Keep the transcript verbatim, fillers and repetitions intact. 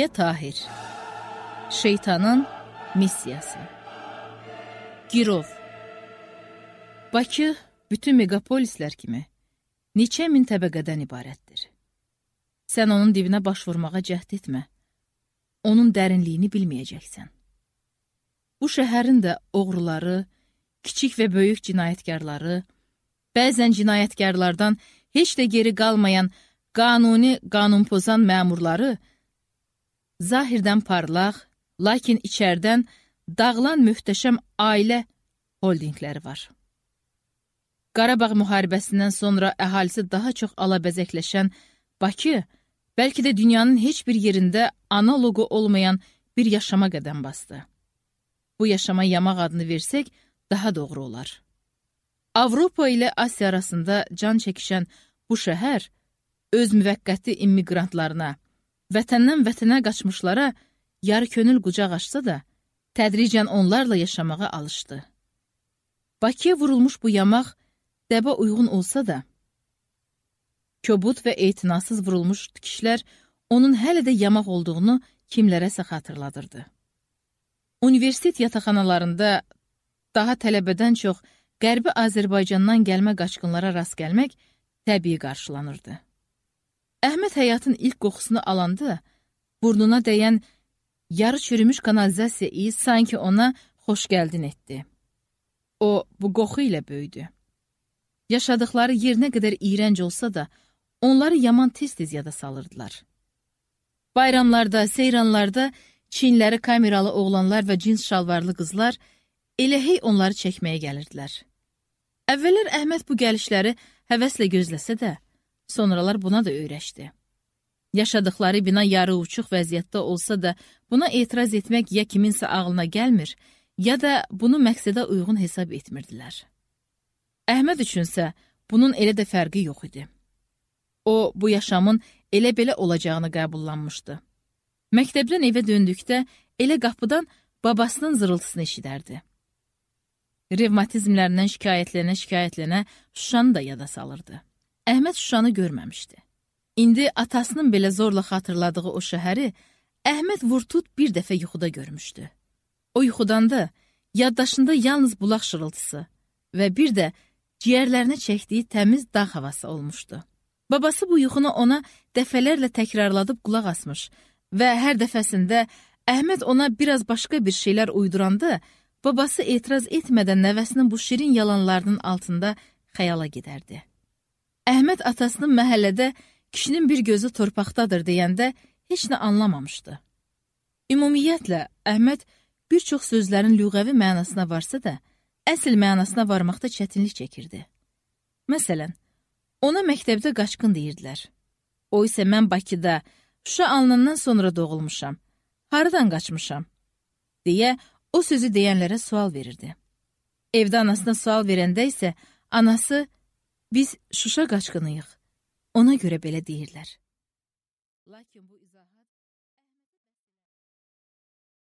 Ruhiyyə Tahir. Şeytanın missiyası. Girov. Bakı bütün megapolislər kimi neçə min təbəqədən ibarətdir. Sən onun dibinə baş vurmağa cəhd etmə. Onun dərinliyini bilməyəcəksən. Bu şəhərin də oğruları, kiçik və böyük cinayətkarları, bəzən cinayətkarlardan heç də geri qalmayan qanuni qanun pozan məmurları, zahirdən parlaq, lakin içərdən dağılan möhtəşəm ailə holdingləri var. Qarabağ müharibəsindən sonra əhalisi daha çox alabəzəkləşən Bakı, bəlkə də dünyanın heç bir yerində analogu olmayan bir yaşama qədəm bastı. Bu yaşama yamaq adını versək, daha doğru olar. Avropa ilə Asiya arasında can çəkişən bu şəhər, öz müvəqqəti immigrantlarına, vətəndən vətənə qaçmışlara yarı könül qucaq açsa da, tədricən onlarla yaşamağa alışdı. Bakıya vurulmuş bu yamaq dəbə uyğun olsa da, kobud və etinasız vurulmuş tikişlər onun hələ də yamaq olduğunu kimlərəsə xatırladırdı. Universitet yataqxanalarında daha tələbədən çox Qərbi Azərbaycandan gəlmə qaçqınlara rast gəlmək təbii qarşılanırdı. Əhməd həyatın ilk qoxusunu alanda, burnuna dəyən yarı çürümüş kanalizasiya iyi sanki ona xoş gəldin etdi. O, bu qoxu ilə böyüdü. Yaşadıkları yer nə qədər iyrənc olsa da, onları yaman tez-tez yada salırdılar. Bayramlarda, seyranlarda çinləri kameralı oğlanlar və cins şalvarlı qızlar elə hey onları çəkməyə gəlirdilər. Əvvəllər Əhməd bu gəlişləri həvəslə gözləsə də, sonralar buna da öyrəşdi. Yaşadıkları bina yarı uçuq vəziyyətdə olsa da, buna etiraz etmək ya kiminsə ağlına gəlmir, ya da bunu məqsədə uyğun hesab etmirdilər. Əhməd üçünsə bunun elə də fərqi yox idi. O, bu yaşamın elə-belə olacağını qəbullanmışdı. Məktəbdən evə döndükdə elə qapıdan babasının zırıltısını eşidərdi. Revmatizmlərindən şikayətlənə-şikayətlənə Şuşanı da yada salırdı. Əhməd Şuşanı görməmişdi. İndi atasının belə zorla xatırladığı o şəhəri Əhməd vurtut bir dəfə yuxuda görmüşdü. O yuxudan da yaddaşında yalnız bulaq şırıltısı və bir də ciyərlərinə çəkdiyi təmiz dağ havası olmuşdu. Babası bu yuxunu ona dəfələrlə təkrarladıb qulaq asmış və hər dəfəsində Əhməd ona biraz başqa bir şeylər uyduranda, babası etiraz etmədən nəvəsinin bu şirin yalanlarının altında xəyala gedərdi. Əhməd atasının məhəllədə kişinin bir gözü torpaqdadır deyəndə heç nə anlamamışdı. Ümumiyyətlə, Əhməd bir çox sözlərin lüğəvi mənasına varsa da, əsl mənasına varmaqda çətinlik çəkirdi. Məsələn, ona məktəbdə qaçqın deyirdilər. O isə mən Bakıda, Şuşa alınandan sonra doğulmuşam, haradan qaçmışam, deyə o sözü deyənlərə sual verirdi. Evdə anasına sual verəndə isə anası, biz Şuşa qaçqınıyıq, ona görə belə deyirlər. Lakin bu